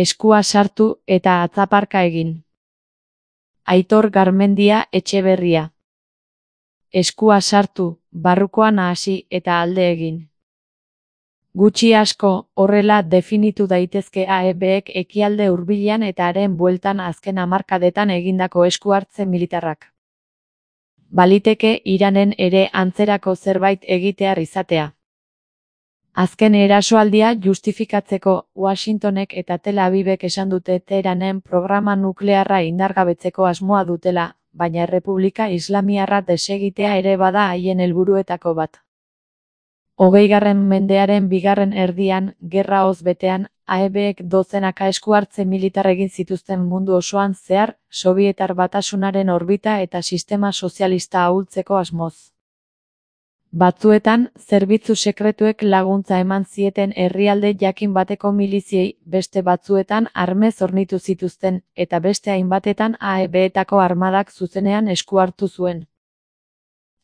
Eskua sartu eta atzaparka egin. Aitor Garmendia Etxeberria. Eskua sartu, barrukoan hasi eta alde egin. Gutxi asko, horrela definitu daitezke AEBek ekialde hurbilean eta haren bueltan azken hamarkadetan egindako esku hartze militarrak. Baliteke Iranen ere antzerako zerbait egitear izatea. Azken erasoaldia justifikatzeko, Washingtonek eta Tel Avivek esan dute Teheranen programa nuklearra indargabetzeko asmoa dutela, baina Errepublika Islamiarra desegitea ere bada haien helburuetako bat. 20. mendearen bigarren erdian, gerra hoz betean, AEBek dozenaka esku hartze militar egin zituzten mundu osoan zehar, Sobietar Batasunaren orbita eta sistema sozialista ahultzeko asmoz. Batzuetan, zerbitzu sekretuek laguntza eman zieten herrialde jakin bateko miliziei, beste batzuetan armez hornitu zituzten, eta beste hainbatetan AEBetako armadak zuzenean esku hartu zuen.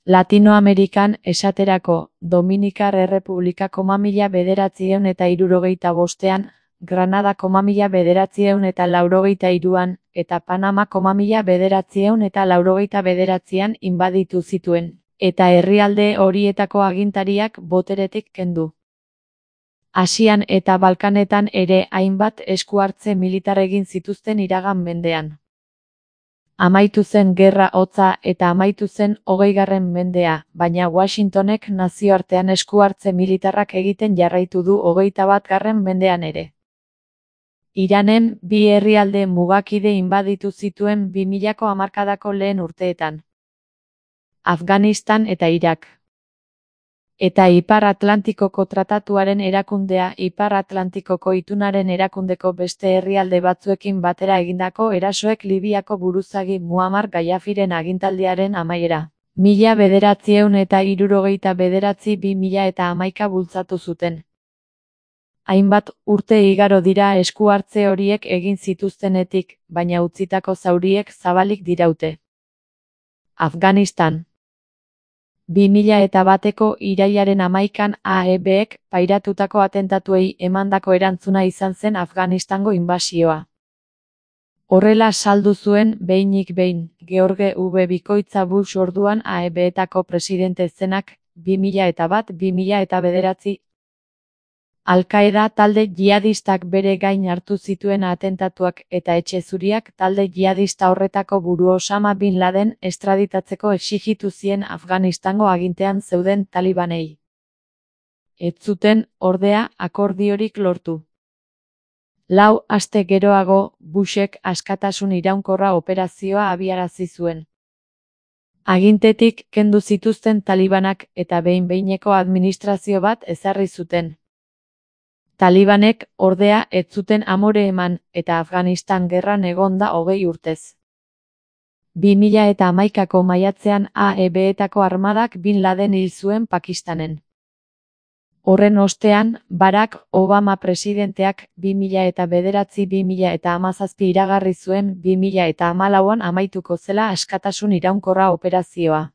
Latinoamerikan, esaterako, Dominikar Errepublika 1975ean, Granada 1983an, eta Panama 1989an inbaditu zituen, eta herrialde horietako agintariak boteretik kendu. Asian eta Balkanetan ere hainbat esku hartze militar egin zituzten iragan mendean. Amaitu zen gerra hotza eta amaitu zen 20. mendea, baina Washingtonek nazioartean esku hartze militarrak egiten jarraitu du 21. mendean ere. Iranen bi herrialde mugakide inbaditu zituen 2000ko hamarkadako lehen urteetan. Afganistan eta Irak. Eta Ipar Atlantikoko Tratatuaren erakundea Ipar Atlantikoko Itunaren erakundeko beste herrialde batzuekin batera egindako erasoek Libiako buruzagi Muammar Gaddafiren agintaldiaren amaiera. 1979-2011 bultzatu zuten. Hainbat urte igaro dira esku hartze horiek egin zituztenetik, baina utzitako zauriek zabalik diraute. Afganistan. 2001ko irailaren 11an AEBek pairatutako atentatuei emandako erantzuna izan zen Afganistango inbasioa. Horrela saldu zuen behinik behin, George W. Bikoitza Bush orduan AEBetako presidente zenak, 2001-2009. Al-Qaeda talde jihadistak bere gain hartu zituen atentatuak eta etxe zuriak talde jihadista horretako buru Osama Bin Laden estraditatzeko exijitu zien Afganistango agintean zeuden talibanei. Ez zuten, ordea, akordiorik lortu. 4 aste geroago, Bushek askatasun iraunkorra operazioa abiarazi zuen. Agintetik kendu zituzten talibanak eta behin-behineko administrazio bat ezarri zuten. Talibanek, ordea, ez zuten amore eman, eta Afganistan gerran egonda 20 urtez. 2011ko maiatzean AEBetako armadak Bin Laden hil zuen Pakistanen. Horren ostean, Barack Obama presidenteak 2009-2017 iragarri zuen 2014an amaituko zela askatasun iraunkorra operazioa.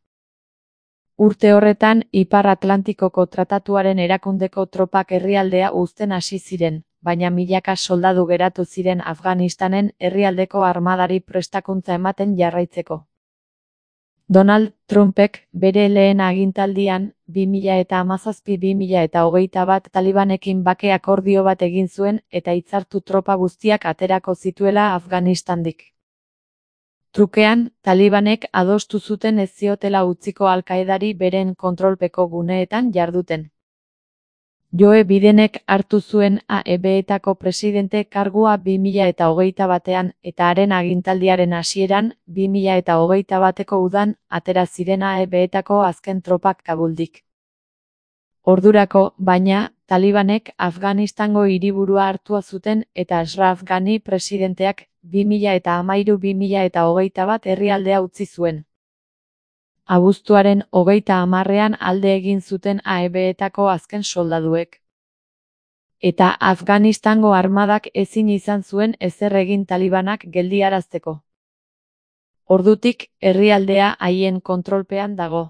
Urte horretan, Ipar Atlantikoko Tratatuaren erakundeko tropak herrialdea uzten hasi ziren, baina milaka soldadu geratu ziren Afganistanen herrialdeko armadari prestakuntza ematen jarraitzeko. Donald Trumpek bere lehen agintaldian, 2017-2021 talibanekin bake akordio bat egin zuen eta hitzartu tropa guztiak aterako zituela Afganistandik. Trukean, talibanek adostu zuten ez ziotela utziko Al-Qaedari beren kontrolpeko guneetan jarduten. Joe Bidenek hartu zuen AEBetako presidente kargua 2021an eta haren agintaldiaren hasieran, 2021ko udan, atera ziren AEBetako azken tropak Kabuldik. Ordurako, baina, talibanek Afganistango hiriburua hartua zuten eta Ashraf Ghani presidenteak 2013-2021 herrialdea utzi zuen. Abuztuaren 30ean alde egin zuten AEBetako azken soldaduek. Eta Afganistango armadak ezin izan zuen ezer egin talibanak geldiarazteko. Ordutik, herrialdea haien kontrolpean dago.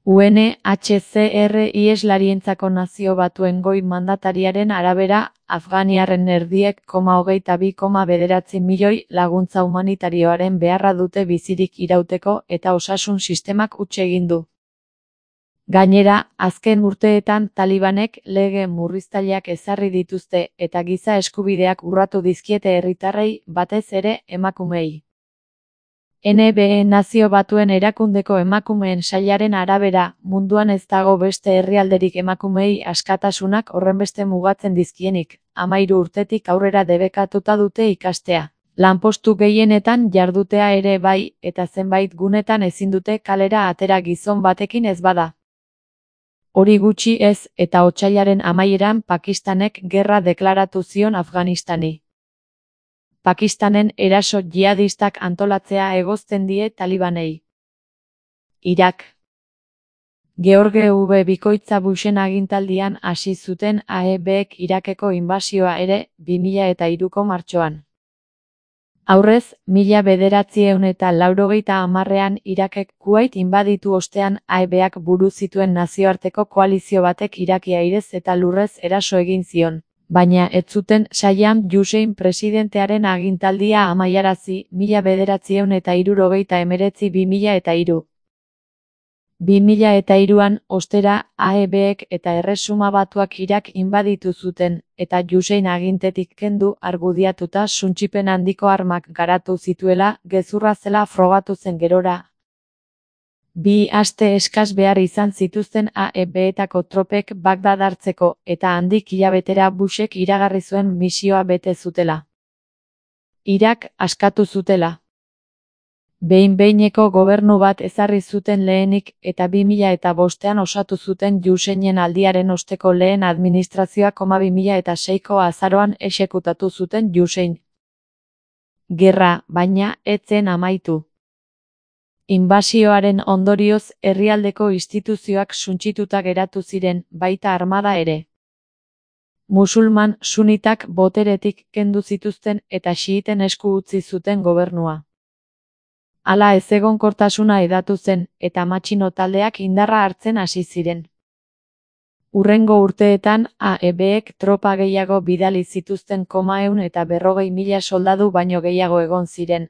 UNHCR iheslarientzako Nazio Batuen goi mandatariaren arabera, afganiarren erdiek 22,9 milioi laguntza humanitarioaren beharra dute bizirik irauteko eta osasun sistemak huts egin du. Gainera, azken urteetan Talibanek lege murriztaileak ezarri dituzte eta giza eskubideak urratu dizkiete herritarrei, batez ere emakumeei. NBE Nazio Batuen Erakundeko emakumeen sailaren arabera, munduan ez dago beste herrialderik emakumeei askatasunak horrenbeste mugatzen dizkienik, 13 urtetik aurrera debekatuta dute ikastea. Lanpostu gehienetan jardutea ere bai, eta zenbait gunetan ezin dute kalera atera gizon batekin ez bada. Hori gutxi ez, eta otsailaren amaieran Pakistanek gerra deklaratu zion Afganistani. Pakistanen eraso jihadistak antolatzea egozten die Talibanei. Irak. George W. Bikoitza Bushen agintaldian hasi zuten AEBek Irakeko inbasioa ere, 2003ko martxoan. Aurrez, 1990ean Irakek Kuwait inbaditu ostean AEBak buru zituen nazioarteko koalizio batek Iraki airez eta lurrez eraso egin zion. Baina ez zuten Saddam Hussein presidentearen agintaldia amaiarazi, 1979-2003. 2003an, ostera, AEBek eta Erresuma Batuak Irak inbaditu zuten, eta Hussein agintetik kendu argudiatuta suntsipen handiko armak garatu zituela, gezurra zela frogatu zen gerora. 2 aste eskas behar izan zituzten AEBetako tropek Bagdad hartzeko, eta handik hilabetera Bushek iragarri zuen misioa bete zutela. Irak askatu zutela. Behin-behineko gobernu bat ezarri zuten lehenik, eta 2005ean osatu zuten Husseinen aldiaren osteko lehen administrazioa, 2006ko azaroan exekutatu zuten Hussein. Gerra, baina, ez zen amaitu. Inbasioaren ondorioz, herrialdeko instituzioak suntsituta geratu ziren, baita armada ere. Musulman sunitak boteretik kendu zituzten eta xiiten esku utzi zuten gobernua. Hala ezegonkortasuna hedatu zen, eta matxino taldeak indarra hartzen hasi ziren. Hurrengo urteetan, AEBek tropa gehiago bidali zituzten 140.000 soldadu baino gehiago egon ziren.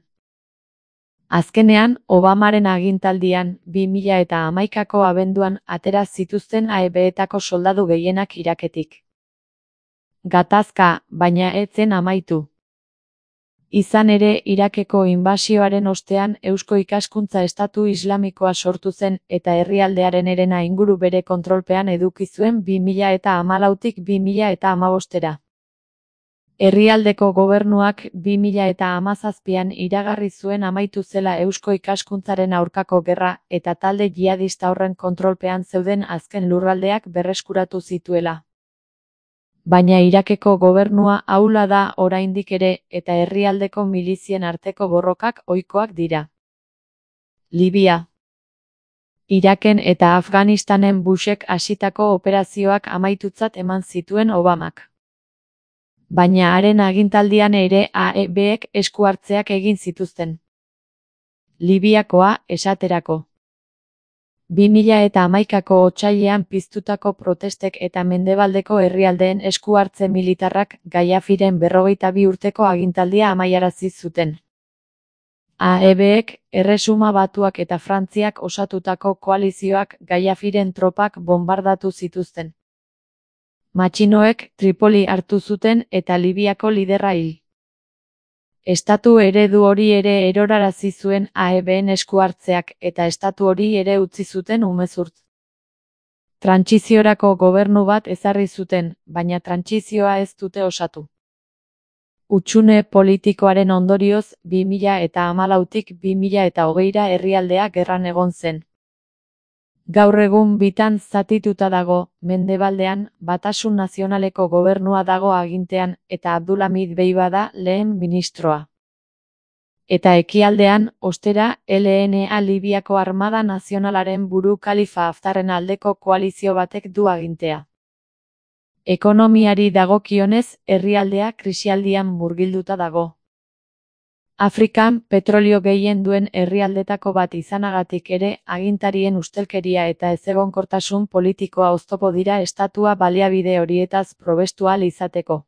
Azkenean, Obamaren agintaldian, 2011ko abenduan atera zituzten AEBetako soldadu gehienak Iraketik. Gatazka, baina ez zen amaitu. Izan ere, Irakeko inbasioaren ostean Eusko Ikaskuntza Estatu Islamikoa sortu zen eta herrialdearen herena inguru bere kontrolpean eduki zuen 2014tik 2015era. Herrialdeko gobernuak 2017an iragarri zuen amaitu zela Eusko Ikaskuntzaren aurkako gerra eta talde jihadista horren kontrolpean zeuden azken lurraldeak berreskuratu zituela. Baina Irakeko gobernua ahula da oraindik ere eta herrialdeko milizien arteko borrokak ohikoak dira. Libia. Iraken eta Afganistanen Bushek hasitako operazioak amaitutzat eman zituen Obamak. Baina haren agintaldian ere AEBek esku hartzeak egin zituzten. Libiakoa, esaterako. 2011ko otsailean piztutako protestek eta mendebaldeko herrialdeen esku hartze militarrak Gaddafiren 52 urteko agintaldia amaiarazi zuten. AEBek, Erresuma Batuak eta Frantziak osatutako koalizioak Gaddafiren tropak bonbardatu zituzten. Matxinoek Tripoli hartu zuten eta Libiako liderra hil. Estatu eredu hori ere erorarazi zuen AEBen esku hartzeak eta estatu hori ere utzi zuten umezurtz. Trantsiziorako gobernu bat ezarri zuten, baina trantsizioa ez dute osatu. Hutsune politikoaren ondorioz, 2014tik 2020ra herrialdea gerran egon zen. Gaur egun bitan zatituta dago, mendebaldean, Batasun Nazionaleko gobernua dago agintean eta Abdulhamid Deiba da lehen ministroa. Eta ekialdean, ostera, LNA Libiako Armada Nazionalaren buru Khalifa Haftarren aldeko koalizio batek du agintea. Ekonomiari dagokionez, herrialdea krisialdian murgilduta dago. Afrikan petrolio gehien duen herrialdetako bat izanagatik ere, agintarien ustelkeria eta ezegonkortasun politikoa oztopo dira estatua baliabide horietaz probestu ahal izateko.